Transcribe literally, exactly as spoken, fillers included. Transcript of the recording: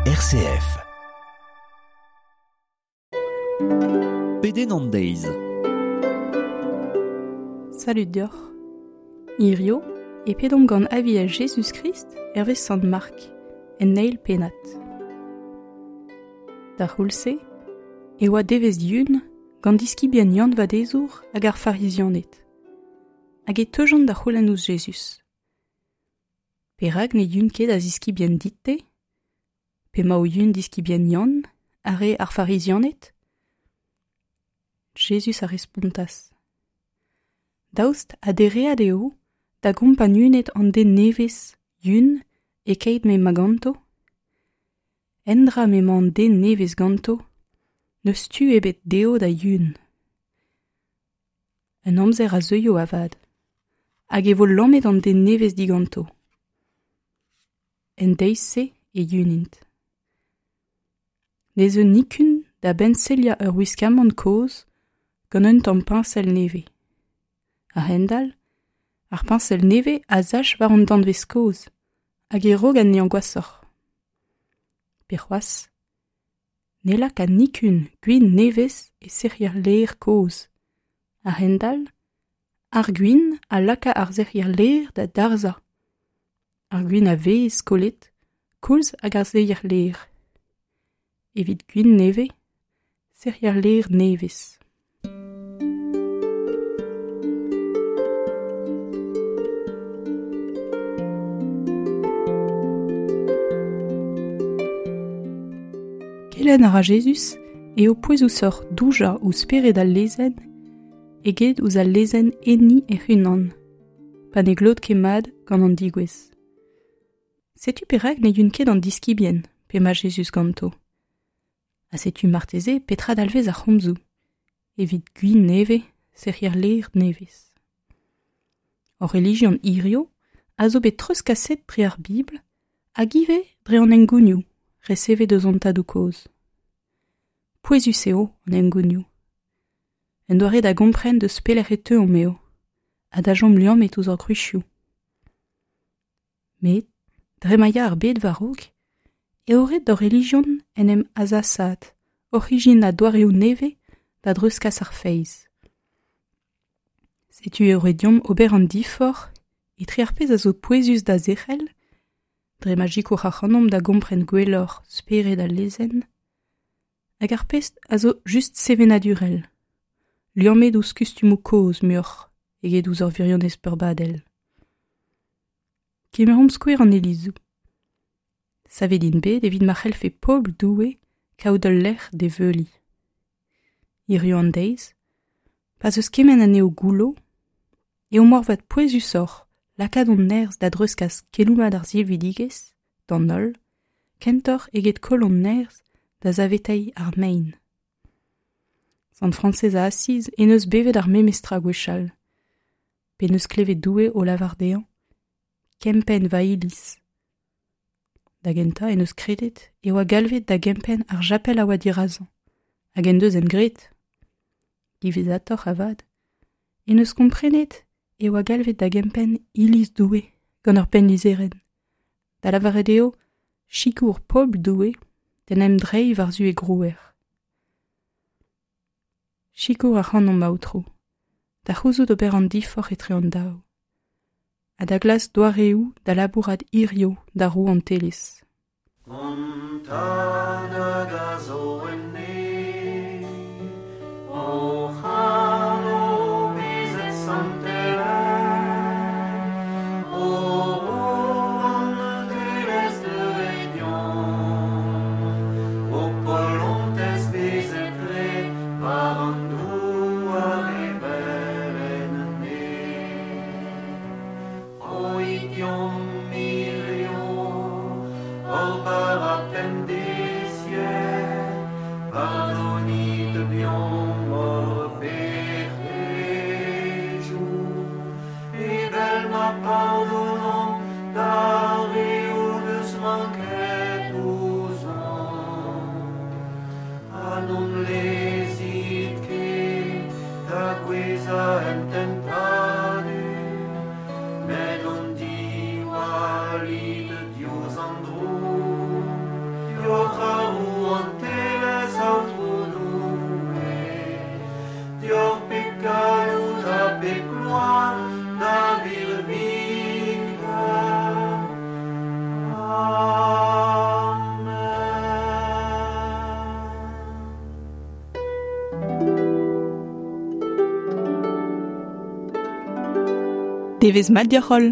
R C F. Pedenn an deiz. Salud deoc'h. Hirio, e pedomp gant aviel Jezuz-Krist hervez Sant Mark, en eil pennad. Da c'houlz-se, e oa devezh yun gant diskibien Yann Vadezour hag ar Farizianed. Hag e teujont da c'houlenn ouzh Jezuz. Perak ne yun ket a ziskibien dit-te? P'emañ o yun diskibien Yann, ar re ar Farizianed? Jezuz a respontas. Daoust ha dereat eo da gompagnuned an den nevez yun e-keit m'emañ ganto? Endra m'emañ an den nevez ganto, n'eus tu ebet dezho da yun. Un amzer a zeuio avat, hag e vo lamet an den nevez diganto. En deiz-se e yunint. Ne zeu nikun da benseliañ ur wiskamant kozh gant un tamm piñsel nevez. A-hend-all, ar piñsel nevez a sach war an danvez kozh hag e rog anezhañ gwashoc'h. Pe c'hoazh, ne laka nikun gwin nevez e sec'hier lêr kozh. A-hend-all, ar gwin a laka ar sec'hier lêr da darzhañ. Ar gwin a vez kollet, koulz hag ar sec'hier lêr. Evit gwin nevez, sec'hier lêr nevez. Kelenn a ra Jezuz eo pouezusoc'h doujañ ouzh spered al lezenn eget ouzh al lezenn enni hec'h-unan, pa ne glot ket mat gant an degouezh. Setu perak ne yun ket an diskibien p'emañ Jezuz ganto. Ha setu marteze petra dalvez ar c'homzoù, evit gwin nevez, sec'hier lêr nevez. Hor relijion hirio a zo bet treuzkaset dre ar Bibl hag ivez dre an hengounioù resevet eus an tadoù kozh. Pouezus eo an hengounioù. En doare da gompren deus pelec'h e teuomp eo, ha da chom liammet ouzh hor gwrizioù. Met, dre ma ya ar bed war-raok, eo ret d'hor relijion en em azasaat, oc'h ijinañ doareoù nevez da dreuzkas ar feiz. Setu eo ret deomp ober an diforc'h etre ar pezh a zo pouezus da zerc'hel, dre ma sikour ac'hanomp da gompren gwelloc'h spered al lezenn, hag ar pezh a zo just sevenadurel, liammet ouzh kustumoù kozh muioc'h eget ouzh ur wirionez peurbadel. Kemeromp skouer an ilizoù. Savet int bet evit ma c'hellfe pobl Doue kaout ul lec'h d'e veuliñ. Hiziv an deiz, pa'z eus kement anezho goullo, eo moarvat pouezusoc'h lakaat hon nerzh da dreuzkas keloù mat ar silvidigezh d'an holl, kentoc'h eget koll hon nerzh da saveteiñ ar mein. Sant Frañsez a Asiz en deus bevet ar memes tra gwechall, p'en deus klevet Doue o lavar dezhañ kempenn va iliz. Da gentañ en deus kredet e oa galvet da gempenn ar japel a oa dirazañ, hag en deus en graet. Diwezhatoc'h avat, en deus komprenet e oa galvet da gempenn iliz Doue gant ur pennlizherenn, da lavaret eo sikour pobl Doue d'en em dreiñ war-zu e grouer. Sikour ac'hanomp Aotrou, da c'houzout ober an diforc'h etre an daou, ha da glask doareoù da labourat hirio da rouantelezh. Hon tad hag a zo en neñv, hoc'h anv bezet santelaet, ho rouantelezh deuet deomp, ho polontez bezet graet war an douar evel en neñv. Roit deomp hirio hor bara pemdeziek, galloud ha pep gloar da birviken. Amen. Devezh mat deoc'h holl.